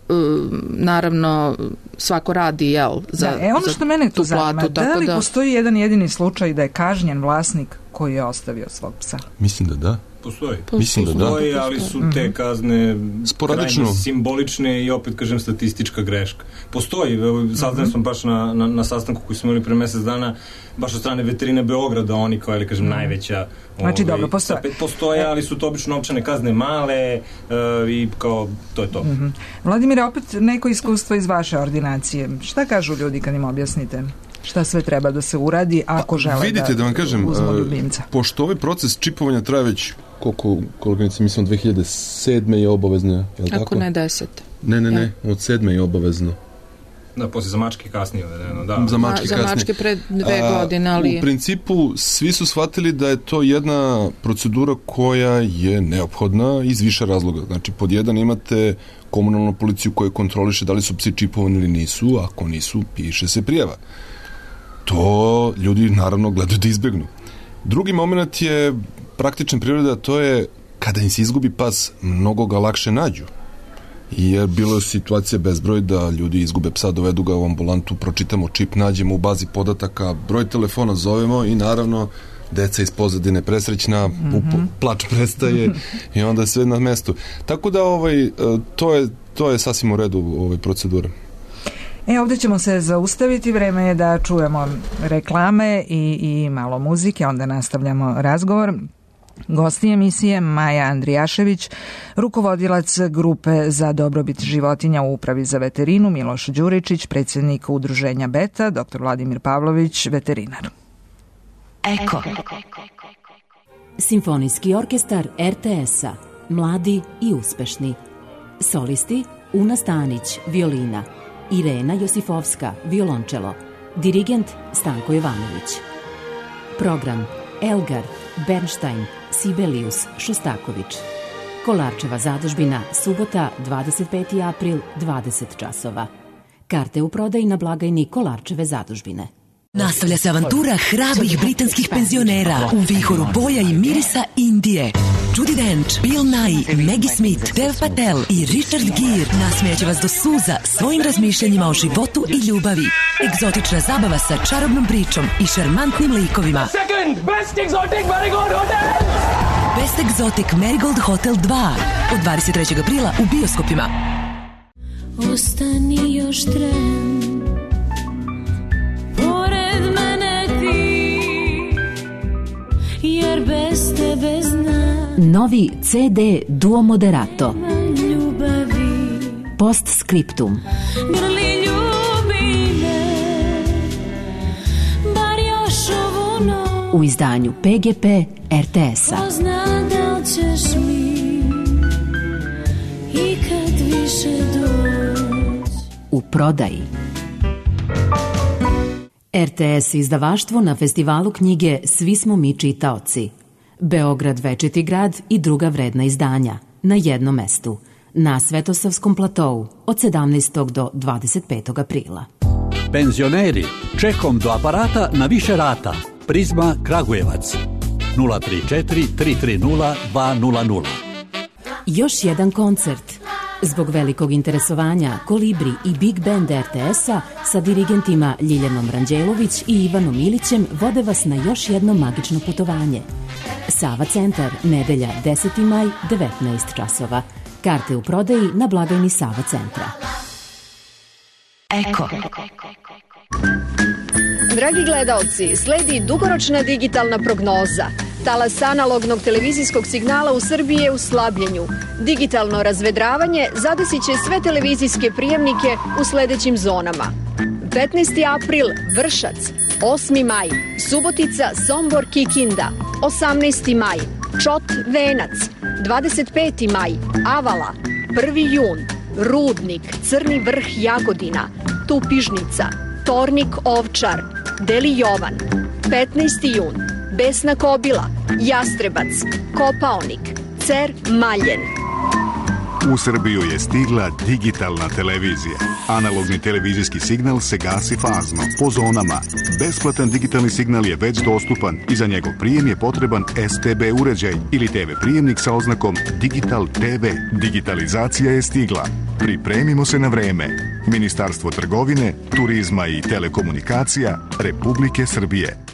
naravno, svako radi, za ono što mene tu zanima, da li postoji jedan jedini slučaj da je kažnjen vlasnik koji je ostavio svog psa? Mislim da da. Postoji, ali su te kazne krajne simbolične i opet kažem statistička greška. Postoji, saznali smo baš na sastanku koji smo imali pre mesec dana, baš od strane veterine Beograda, oni kao, ili kažem, najveća. Znači, dobro, postoje, ali su to obično novčane kazne male i kao, to je to. Vladimire, opet neko iskustvo iz vaše ordinacije. Šta kažu ljudi kad im objasnite? Šta sve treba da se uradi ako žele da vam kažem, uzmu ljubimca? Pošto ovaj proces čipovanja traje već koliko mislim 2007. je obavezno, je li tako? Ako ne 10. Ne, od 7. je obavezno. Da, poslije za mačke kasnije. Za mačke pre 2 godine, ali... U principu, svi su shvatili da je to jedna procedura koja je neophodna iz više razloga. Znači, pod jedan imate komunalnu policiju koja kontroliše da li su psi čipovani ili nisu, ako nisu, piše se prijava. To ljudi naravno gledaju da izbegnu. Drugi moment je praktičan prirode, a to je kada im se izgubi pas, mnogo ga lakše nađu. Jer bilo je situacija bezbroj da ljudi izgube psa, dovedu ga u ambulantu, pročitamo čip, nađemo u bazi podataka, broj telefona zovemo i naravno deca iz pozadine presrećna, plač prestaje i onda je sve na mestu. Tako da to je sasvim u redu procedura. Ovdje ćemo se zaustaviti, vreme je da čujemo reklame i malo muzike, onda nastavljamo razgovor. Gosti emisije Maja Andrijašević, rukovodilac grupe za dobrobit životinja u Upravi za veterinu, Miloš Đuričić, predsjednik udruženja Beta, dr. Vladimir Pavlović, veterinar. Eko. Simfonijski orkestar RTS-a, mladi i uspešni. Solisti Una Stanić, violina, Irena Josifovska, violončelo, dirigent Stanko Jovanović. Program Elgar, Bernstein, Sibelius, Šostaković. Kolarčeva zadužbina, subota, 25. april, 20 časova. Karte u prodaji na blagajni Kolarčeve zadužbine. Nastavlja se avantura hrabrih britanskih penzionera u vihoru boja i mirisa Indije. Judi Dench, Bill Nighy, Maggie Smith, Dev Patel i Richard Gere nasmejaće vas do suza svojim razmišljanjima o životu i ljubavi. Egzotična zabava sa čarobnom pričom i šarmantnim likovima. Best Exotic Marigold Hotel 2 od 23. aprila u bioskopima. Ostani još tren, pored mene ti, jer bez tebe znam. Novi CD Duo Moderato. Ljubavi. Postscriptum. Grli ljubi me, bar još ovu noć. U izdanju PGP RTS-a. Ko zna da li ćeš mi ikad više doći. U prodaji. RTS izdavaštvo na festivalu knjige Svi smo mi čitaoci. Beograd večiti grad i druga vredna izdanja na jednom mestu. Na Svetosavskom platou od 17. do 25. aprila. Penzioneri, čekom do aparata na više rata. Prizma Kragujevac 034 330 200. Još jedan koncert. Zbog velikog interesovanja Kolibri i Big Band RTS-a sa dirigentima Ljiljanom Ranđelović i Ivanom Ilićem vode vas na još jedno magično putovanje. Sava centar, nedelja 10. maj, 19 časova. Karte u prodaji na blagajni Sava centra. Eko. Dragi gledaoci, sledi dugoročna digitalna prognoza. Talas analognog televizijskog signala u Srbiji je u slabljenju. Digitalno razvedravanje zadesit će sve televizijske prijemnike u sledećim zonama. 15. april Vršac, 8. maj Subotica, Sombor, Kikinda, 18. maj Čot, Venac, 25. maj Avala, 1. jun Rudnik, Crni vrh, Jagodina, Tupižnica, Tornik, Ovčar, Deli Jovan, 15. jun Besna Kobila, Jastrebac, Kopaonik, Cer, Maljen. U Srbiju je stigla digitalna televizija. Analogni televizijski signal se gasi fazno, po zonama. Besplatan digitalni signal je već dostupan i za njegov prijem je potreban STB uređaj ili TV prijemnik sa oznakom Digital TV. Digitalizacija je stigla. Pripremimo se na vreme. Ministarstvo trgovine, turizma i telekomunikacija Republike Srbije.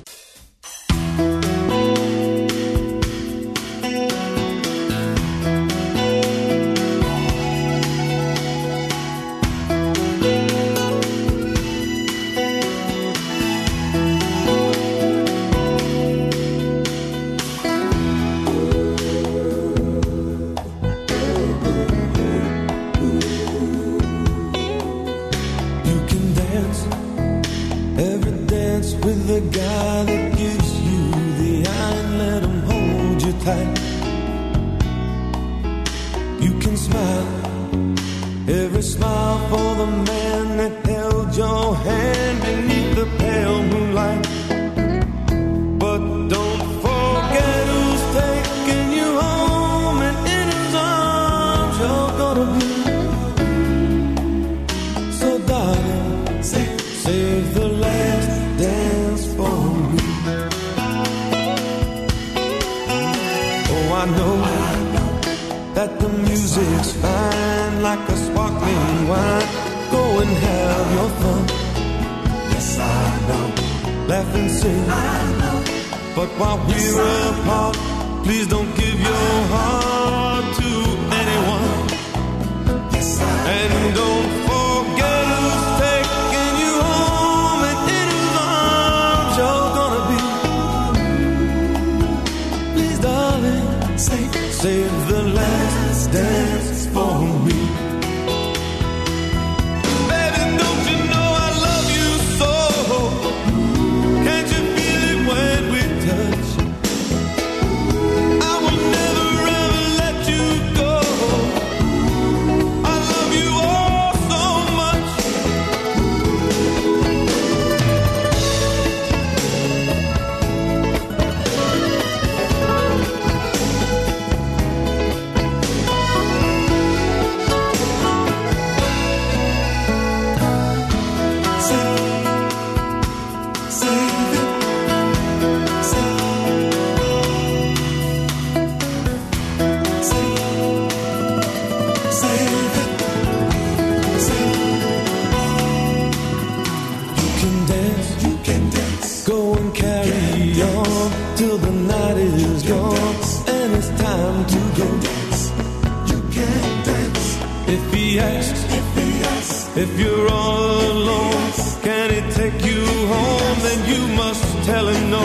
If you're all alone, can he take you home? Then you must tell him no.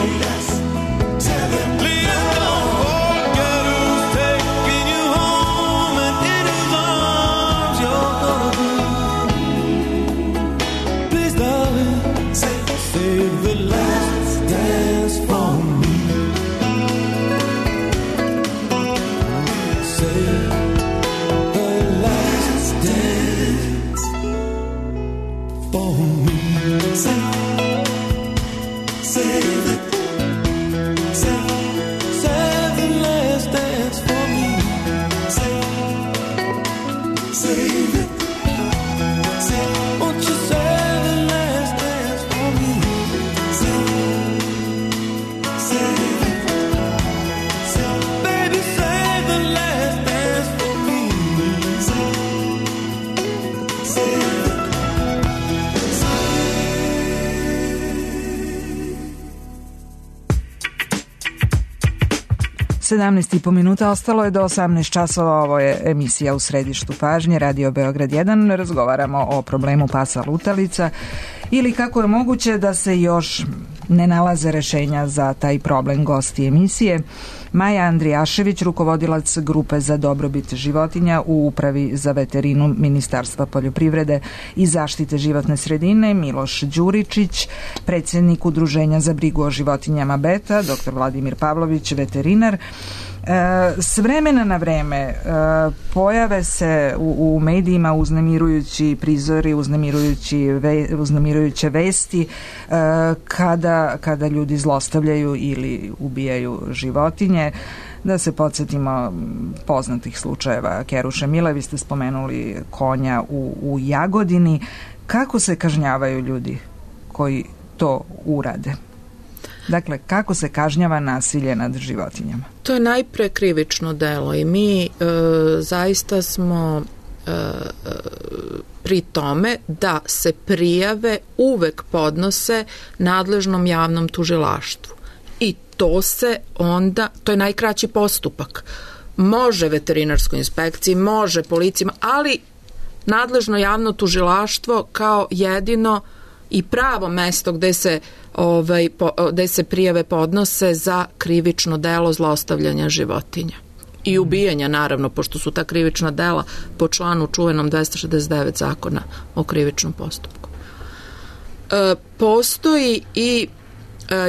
Tell him please don't forget who's taking you home and in whose arms you're gonna be. Please, darling, save the last dance for me. Save the last dance for me. Save it. Save the last dance for me. Save it. Won't you save the last dance for me? Save it. Baby, save the last dance for me. Save it. 17,5 minuta ostalo je do 18 časova. Ovo je emisija U središtu pažnje, Radio Beograd 1. Razgovaramo o problemu pasa lutalica ili kako je moguće da se još ne nalaze rešenja za taj problem. Gosti emisije Maja Andrijašević, rukovodilac grupe za dobrobit životinja u Upravi za veterinu Ministarstva poljoprivrede i zaštite životne sredine, Miloš Đuričić, predsjednik Udruženja za brigu o životinjama Beta, dr. Vladimir Pavlović, veterinar. S vremena na vreme pojave se u medijima uznemirujući prizori, uznemirujuće vesti kada ljudi zlostavljaju ili ubijaju životinje. Da se podsjetimo poznatih slučajeva Keruše Mile, vi ste spomenuli konja u Jagodini. Kako se kažnjavaju ljudi koji to urade? Dakle, kako se kažnjava nasilje nad životinjama? To je najpre krivično delo i mi zaista smo pri tome da se prijave uvek podnose nadležnom javnom tužilaštvu. I to se onda, to je najkraći postupak. Može veterinarskoj inspekciji, može policijama, ali nadležno javno tužilaštvo kao jedino i pravo mesto gde se prijave podnose za krivično delo zlostavljanja životinja i ubijanja, naravno, pošto su ta krivična dela po članu čuvenom 269 zakona o krivičnom postupku. Postoji i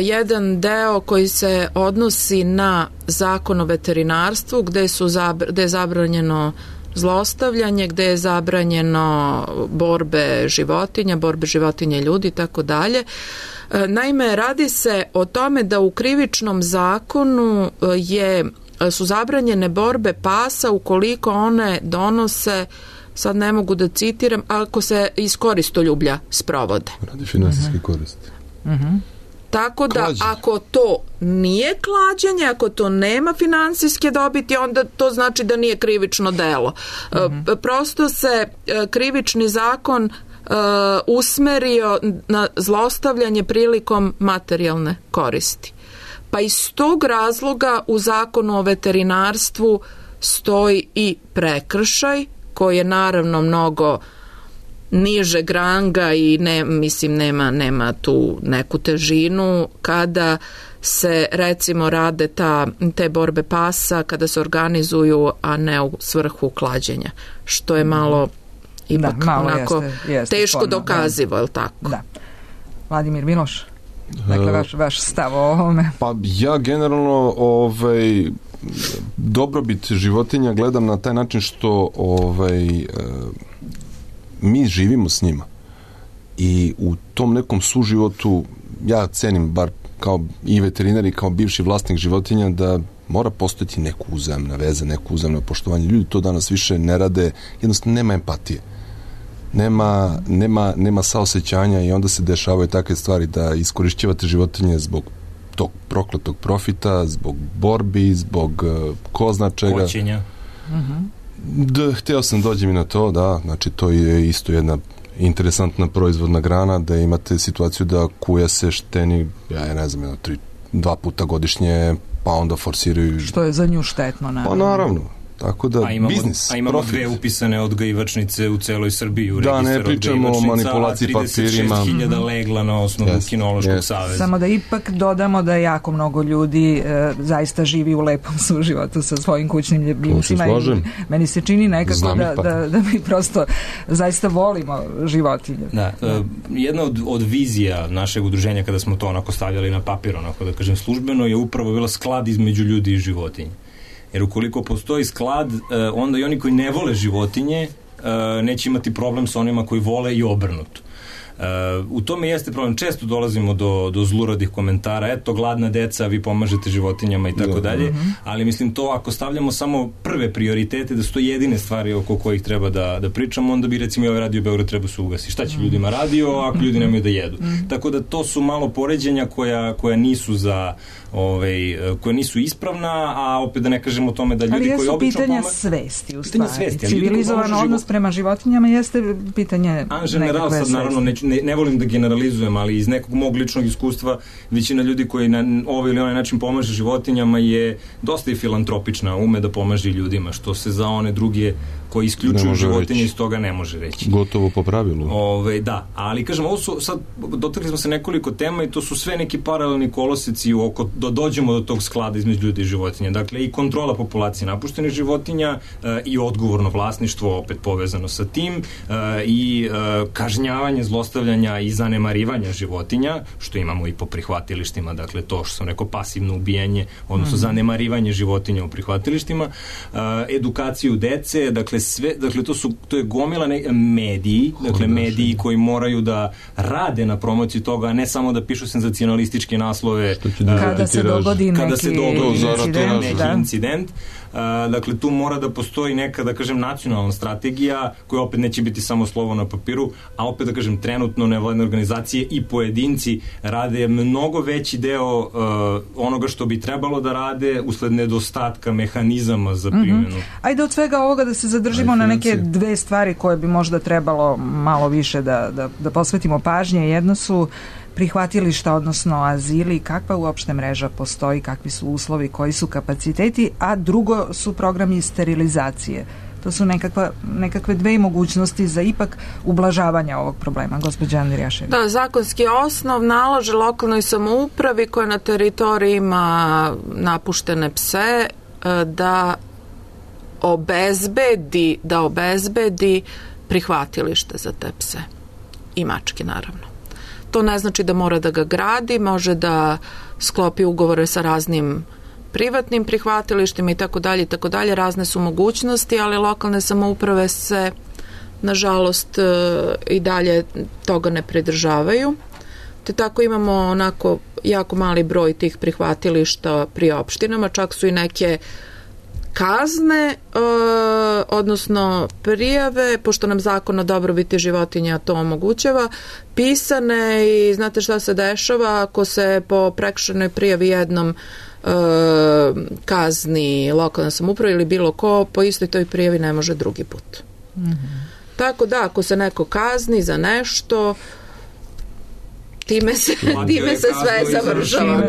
jedan deo koji se odnosi na zakon o veterinarstvu gde je zabranjeno zlostavljanje, gde je zabranjeno borbe životinja i ljudi i tako dalje. Naime, radi se o tome da u krivičnom zakonu su zabranjene borbe pasa ukoliko one donose, sad ne mogu da citiram, ako se iz koristoljublja sprovode. Radi finansijske koristi. Tako da ako to nije klađenje, ako to nema finansijske dobiti, onda to znači da nije krivično delo. Prosto se krivični zakon usmerio na zlostavljanje prilikom materijalne koristi. Pa iz tog razloga u zakonu o veterinarstvu stoji i prekršaj koji je naravno mnogo nižeg ranga i nema tu neku težinu kada se recimo rade te borbe pasa, kada se organizuju, a ne u svrhu klađenja, što je malo ipak onako teško dokazivo, je li tako? Da. Vladimir, Miloš, dakle vaš stav o ovome? Pa ja generalno dobrobit životinja gledam na taj način što mi živimo s njima i u tom nekom suživotu ja cenim, bar kao i veterinar i kao bivši vlasnik životinja, da mora postojati neku uzajamna veza, neko uzajamno poštovanje. Ljudi to danas više ne rade, jednostavno nema empatije, nema saosećanja i onda se dešavaju takve stvari da iskorišćavate životinje zbog tog prokletog profita, zbog borbi, zbog ko zna čega. Kočenja. Hteo sam dođem i na to, da, znači to je isto jedna interesantna proizvodna grana, da imate situaciju da kuja se šteni, ja ne znam, 2 puta godišnje, pa onda forsiraju. Što je za nju štetno, naravno. Pa naravno. Tako da, biznis, imamo profit. 2 upisane odgajivačnice u celoj Srbiji u da, ne pričamo o manipulaciji papirima. 36.000 legla na osnovu Kinološkog saveza. Samo da ipak dodamo da jako mnogo ljudi zaista živi u lepom suživotu sa svojim kućnim ljubimcima. Meni se čini nekako da mi prosto zaista volimo životinje. Da, jedna od vizija našeg udruženja kada smo to onako stavljali na papir, onako da kažem službeno, je upravo bila sklad između ljudi i životinje. Jer ukoliko postoji sklad, onda i oni koji ne vole životinje neće imati problem sa onima koji vole i obrnuto. U tome jeste problem. Često dolazimo do zluradih komentara, eto, gladna deca, vi pomažete životinjama i tako dalje, ali mislim to ako stavljamo samo prve prioritete, da su to jedine stvari oko kojih treba da pričamo, onda bi recimo i ovaj Radio Beograd treba se ugasi. Šta će ljudima radio ako ljudi nemaju da jedu? Tako da to su malo poređenja koja nisu koja nisu ispravna, a opet da ne kažemo o tome da ljudi koji obično ali jesu pitanja svesti u stvari. Civilizovan odnos prema životinjama jeste pitanje nekakve svesti. Naravno, ne volim da generalizujem, ali iz nekog mog ličnog iskustva većina ljudi koji na ovaj ili onaj način pomaže životinjama je dosta i filantropična, ume da pomaže ljudima, što se za one druge koji isključuju životinje iz toga ne može reći. Gotovo po pravilu. Da, ali kažem, ovo su sad, dotakli smo se nekoliko tema i to su sve neki paralelni koloseci da dođemo do tog sklada između ljudi i životinja. Dakle, i kontrola populacije napuštenih životinja i odgovorno vlasništvo opet povezano sa tim i kažnjavanje, zlostavljanja i zanemarivanja životinja, što imamo i po prihvatilištima, dakle to što sam rekao pasivno ubijanje, odnosno zanemarivanje životinja u prihvatilištima, edukaciju dece, dakle to je gomila mediji, dakle mediji koji moraju da rade na promociji toga, a ne samo da pišu senzacionalističke naslove kada se dogodi neki incident. Dakle, tu mora da postoji neka, da kažem, nacionalna strategija koja opet neće biti samo slovo na papiru, a opet, da kažem, trenutno nevladine organizacije i pojedinci rade mnogo veći deo onoga što bi trebalo da rade usled nedostatka mehanizama za primjenu. Ajde od svega ovoga da se zadržimo na neke 2 stvari koje bi možda trebalo malo više da posvetimo pažnje. Jedno su prihvatilišta, odnosno azili, kakva uopšte mreža postoji, kakvi su uslovi, koji su kapaciteti, a drugo su programi sterilizacije. To su nekakve 2 mogućnosti za ipak ublažavanje ovog problema. Gospođa Andrijašević. Da, zakonski osnov nalaže lokalnoj samoupravi koja na teritoriji ima napuštene pse da obezbedi prihvatilište za te pse i mačke, naravno. To ne znači da mora da ga gradi, može da sklopi ugovore sa raznim privatnim prihvatilištima i tako dalje, razne su mogućnosti, ali lokalne samouprave se nažalost i dalje toga ne pridržavaju. Te tako imamo onako jako mali broj tih prihvatilišta pri opštinama, čak su i neke kazne, odnosno prijave, pošto nam zakon o dobrobiti životinja to omogućava, pisane i znate šta se dešava ako se po prekršajnoj prijavi jednom kazni lokalna samouprava ili bilo ko, po istoj toj prijavi ne može drugi put. Tako da, ako se neko kazni za nešto, time se sve završava.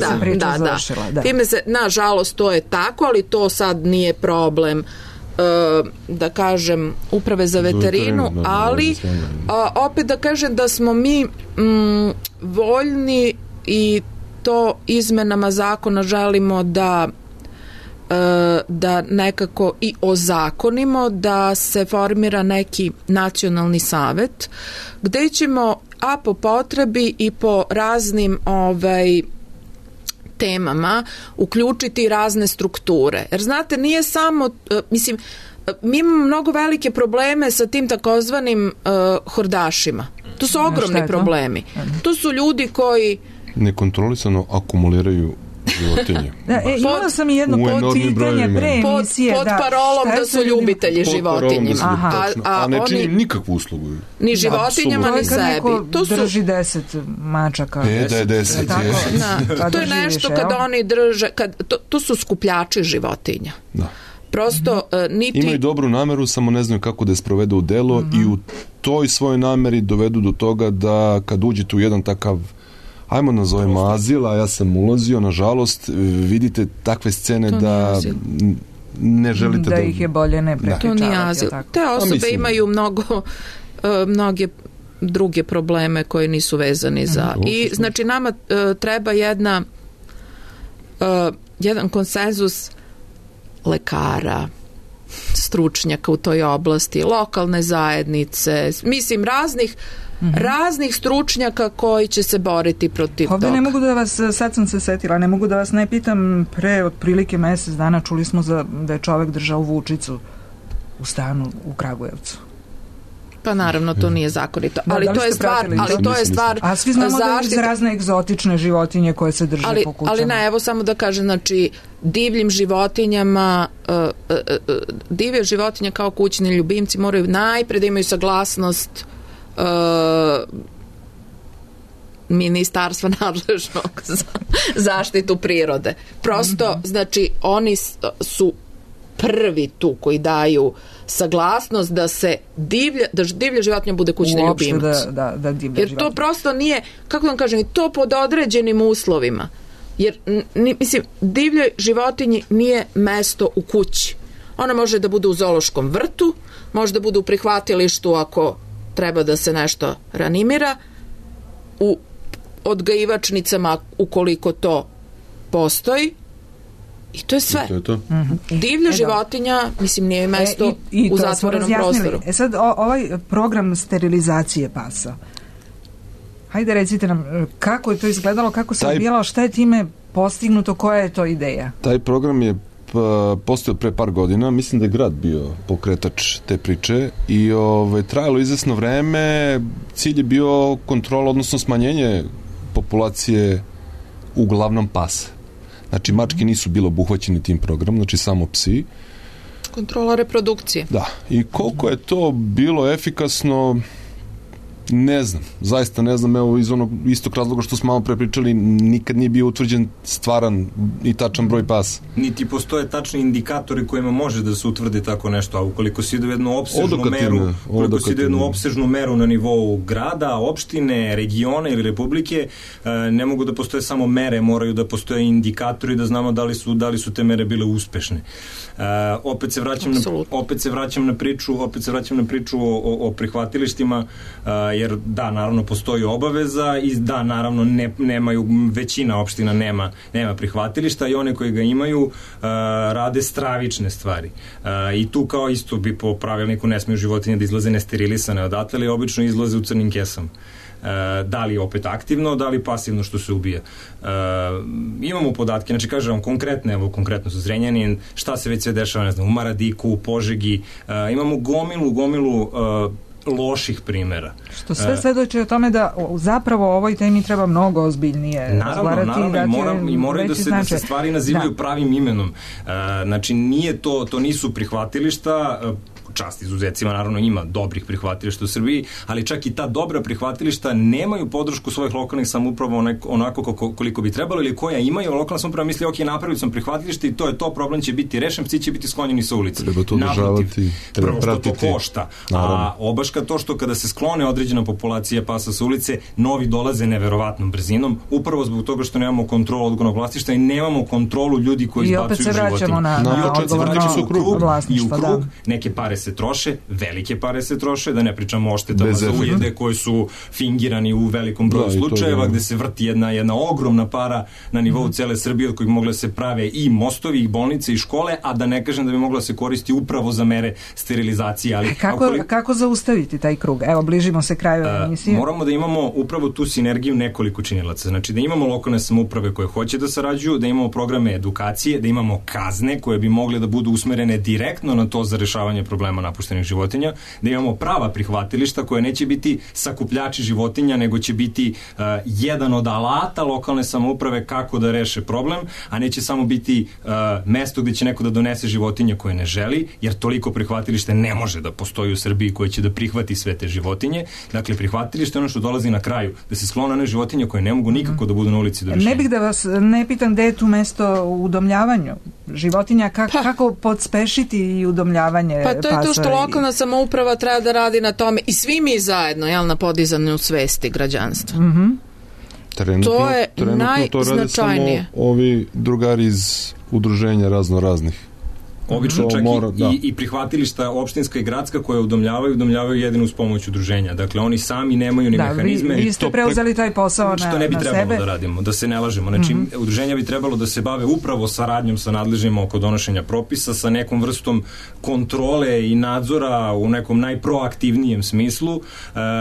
Da. Time se, nažalost, to je tako, ali to sad nije problem, da kažem, uprave za veterinu, ali opet da kažem da smo mi voljni i to izmenama zakona želimo da nekako i ozakonimo, da se formira neki nacionalni savet gde ćemo po potrebi i po raznim temama uključiti razne strukture. Jer znate, nije samo, mi imamo mnogo velike probleme sa tim takozvanim hordašima. To su ogromni problemi. To su ljudi koji nekontrolisano akumuliraju životinje. Imala sam i jedno pitanje pre emisije. Pod parolom da su ljubitelji životinja. A ne čini nikakvu uslugu. Ni životinjama, ni sebi. To drži 10 mačaka. Da je 10. To je nešto kada oni drže, to su skupljači životinja. Da. Prosto imaju dobru nameru, samo ne znaju kako da je sprovedu u delo i u toj svojoj nameri dovedu do toga da kad uđete u jedan takav, ajmo nazovemo azil, a ja sam ulazio, nažalost, vidite takve scene da ne želite da ih je bolje ne prepričavati. To nije azil. Te osobe imaju mnoge druge probleme koje nisu vezani za... I znači nama treba jedan konsenzus lekara, stručnjaka u toj oblasti, lokalne zajednice, mislim raznih stručnjaka koji će se boriti protiv toga. Ovdje ne mogu da vas, sad sam se setila, ne mogu da vas ne pitam, pre otprilike mjesec dana čuli smo da je čovjek držao vučicu u stanu u Kragujevcu. Pa naravno to nije zakonito, ali to je stvar a svi znamo da je razne egzotične životinje koje se drže po kućama. Ali ne, evo samo da kažem, znači divljim životinjama divlje životinje kao kućni ljubimci moraju najpre da imaju saglasnost ministarstva nadležnog za zaštitu prirode. Prosto, znači, oni su prvi tu koji daju saglasnost da se divlja životinja bude kućni ljubimac. Jer to prosto nije, kako da vam kažem, to pod određenim uslovima. Jer, mislim, divljoj životinji nije mesto u kući. Ona može da bude u zoološkom vrtu, može da bude u prihvatilištu ako treba da se nešto ranimira, u odgajivačnicama ukoliko to postoji, i to je sve. Divlja životinja, mislim, nije mesto u zatvorenom prostoru. Sad, ovaj program sterilizacije pasa, hajde recite nam kako je to izgledalo, kako se odvijalo, šta je time postignuto, koja je to ideja? Taj program je postojao pre par godina, mislim da je grad bio pokretač te priče i trajalo izvesno vreme. Cilj je bio kontrola, odnosno smanjenje populacije uglavnom pasa. Znači mačke nisu bile obuhvaćene tim programom, znači samo psi. Kontrola reprodukcije. Da, i koliko je to bilo efikasno, ne znam, zaista ne znam, evo iz onog istog razloga što smo malo pre pričali, nikad nije bio utvrđen stvaran i tačan broj pasa. Niti postoje tačni indikatori kojima može da se utvrdi tako nešto, a ukoliko se ide u jednu opsežnu meru na nivou grada, opštine, regiona ili republike, ne mogu da postoje samo mere, moraju da postoje indikatori da znamo da li su te mere bile uspešne. Opet se vraćam na priču o prihvatilištima, jer da, naravno postoji obaveza i da, naravno nemaju, većina opština nema prihvatilišta i one koji ga imaju rade stravične stvari. I tu kao isto bi po pravilniku ne smiju životinje da izlaze nesterilisane odatle, ali obično izlaze u crnim kesama. Da li opet aktivno, da li pasivno što se ubija. Imamo podatke, znači kažem konkretno sa Zrenjanin, šta se već sve dešava, ne znam, u Maradiku, u Požegi, imamo gomilu loših primera. Što sve svedoči o tome da zapravo o ovoj temi treba mnogo ozbiljnije razgovarati. Naravno, i moraju da se stvari nazivaju pravim imenom. Znači, to nisu prihvatilišta, čast izuzecima, naravno ima dobrih prihvatilišta u Srbiji, ali čak i ta dobra prihvatilišta nemaju podršku svojih lokalnih samouprava onako koliko bi trebalo, ili koja imaju, lokalna samouprava misli, ok, napravili sam prihvatilište i to je to, problem će biti rešen, psi će biti sklonjeni sa ulice. Treba to održavati, prvo što to košta, a obaška to što kada se sklone određena populacija pasa sa ulice, novi dolaze neverovatnom brzinom, upravo zbog toga što nemamo kontrolu odgovornog vlasništva i nemamo kontrolu ljudi koji izbacuju životinje. I opet se vraćamo na odgovorno vlasništvo. I u krug, neke pare se troše, velike pare se troše, da ne pričamo o štetama za ujede koji su fingirani u velikom broju slučajeva, gde se vrti jedna ogromna para na nivou cele Srbije od kojih mogla se prave i mostovi, i bolnice, i škole, a da ne kažem da bi mogla se koristi upravo za mere sterilizacije. Ali kako zaustaviti taj krug? Evo, bližimo se kraju emisije. Moramo da imamo upravo tu sinergiju nekoliko činilaca. Znači da imamo lokalne samouprave koje hoće da sarađuju, da imamo programe edukacije, da imamo kazne koje bi mogle da budu usmerene direktno na to za rešavanje problema napuštenih životinja, da imamo prava prihvatilišta koje neće biti sakupljači životinja, nego će biti jedan od alata lokalne samouprave kako da reše problem, a neće samo biti mesto gde će neko da donese životinje koje ne želi, jer toliko prihvatilište ne može da postoji u Srbiji koje će da prihvati sve te životinje. Dakle, prihvatilište je ono što dolazi na kraju, da se sklone one životinje koje ne mogu nikako da budu na ulici do rešenja. Ne bih da vas ne pitam gde je tu mesto u udomljavanju životinja, kako podspešiti i udomljavanje pasa. Pa to je to što lokalna samouprava treba da radi na tome i svi mi zajedno, na podizanju svesti građanstva. To je najznačajnije. To rade samo ovi drugari iz udruženja raznih. Obično čak i prihvatilišta opštinska i gradska koje udomljavaju jedino uz pomoć udruženja. Dakle, oni sami nemaju ni mehanizme. Vi ste preuzeli taj posao na sebe. Što ne bi trebalo da radimo, da se ne lažemo. Znači, udruženja bi trebalo da se bave upravo saradnjom sa nadležnjima oko donošenja propisa, sa nekom vrstom kontrole i nadzora u nekom najproaktivnijem smislu.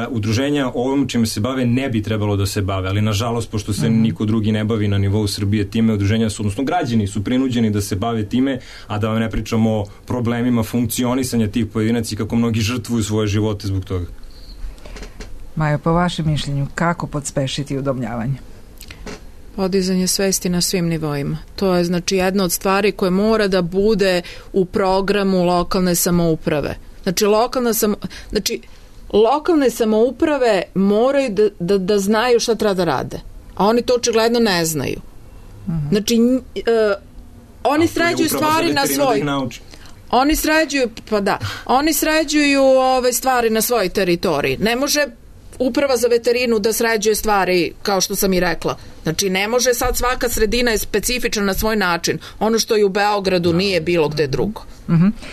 Udruženja ovom čime se bave ne bi trebalo da se bave, ali nažalost, pošto se niko drugi ne bavi na nivou Srbije time, udruženja su, odnosno građani su prinuđeni da se bave time, a da vam ne pričamo o problemima funkcionisanja tih pojedinaca i kako mnogi žrtvuju svoje živote zbog toga. Majo, po vašem mišljenju, kako podspešiti udomljavanje? Podizanje svesti na svim nivoima. To je znači jedna od stvari koje mora da bude u programu lokalne samouprave. Znači lokalne samouprave moraju da znaju šta treba da rade. A oni to očigledno ne znaju. Znači oni sređuju stvari na svoj... Oni sređuju stvari na svojoj teritoriji. Ne može uprava za veterinu da sređuje stvari, kao što sam i rekla. Znači, ne može sad, svaka sredina je specifična na svoj način. Ono što je u Beogradu nije bilo gde drugo.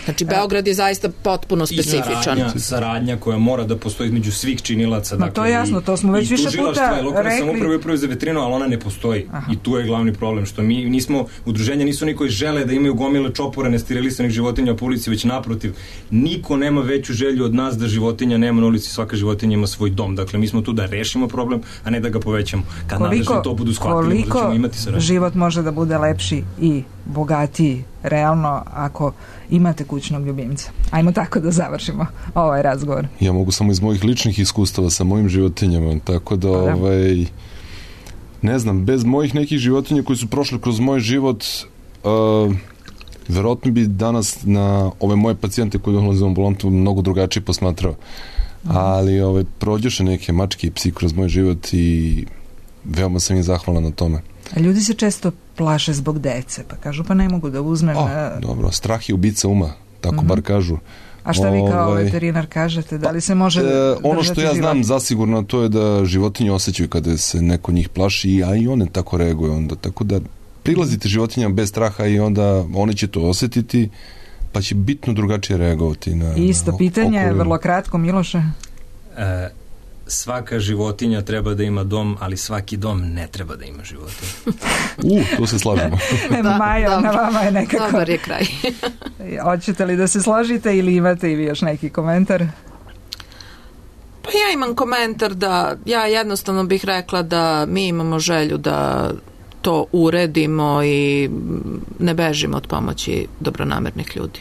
Znači, Beograd je zaista potpuno specifičan. I saradnja koja mora da postoji između svih činilaca. Dakle, to je jasno, to smo već više puta rekli. Lokalne samouprave upravo za veterinu, ali ona ne postoji. I tu je glavni problem, što mi nismo, udruženja nisu oni koji žele da imaju gomile čopore nesterilisanih životinja po ulici, već naprotiv. Niko nema veću želju od nas da životinja nema na ulici, svaka životinja ima svoj dom. Dakle, mi smo tu da rešimo problem, a ne da ga povećamo. Kad nadležni to budu shvatili, da ćemo imati saradnju. Život može da bude lepši i bogatiji, realno, ako imate kućnog ljubimca. Ajmo tako da završimo ovaj razgovor. Ja mogu samo iz mojih ličnih iskustava sa mojim životinjama, tako da ne znam, bez mojih nekih životinja koji su prošli kroz moj život, verovatno bi danas na ove moje pacijente koji dolaze u ambulantu mnogo drugačije posmatrao. Ali prođeše neke mačke i psi kroz moj život i veoma sam im zahvalan na tome. A ljudi se često plaše zbog dece, pa kažu pa ne mogu da uzmem... Dobro, strah je ubica uma, tako bar kažu. A šta vi kao veterinar kažete? Da li se može ono što ja znam zasigurno to je da životinje osjećaju kada se neko njih plaši, a i one tako reaguju onda. Tako da prilazite životinjama bez straha i onda oni će to osjetiti, pa će bitno drugačije reagovati na isto pitanje, vrlo kratko, Miloše. Svaka životinja treba da ima dom, ali svaki dom ne treba da ima životinju. Tu se slažemo. Majo, na vama je nekako... Dobar je kraj. Hoćete li da se složite ili imate i vi još neki komentar? Pa ja imam komentar da ja jednostavno bih rekla da mi imamo želju da to uredimo i ne bežimo od pomoći dobronamernih ljudi.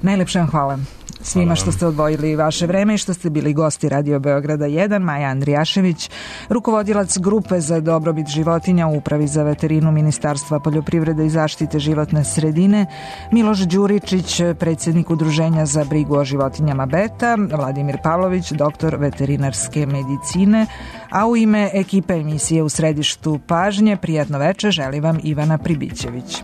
Najlepše vam hvala svima što ste odvojili vaše vreme i što ste bili gosti Radio Beograda 1. Maja Andrijašević, rukovodilac grupe za dobrobit životinja u Upravi za veterinu Ministarstva poljoprivrede i zaštite životne sredine, Miloš Đuričić, predsjednik Udruženja za brigu o životinjama Beta, Vladimir Pavlović, doktor veterinarske medicine, a u ime ekipe emisije U središtu pažnje, prijatno veče želi vam Ivana Pribićević.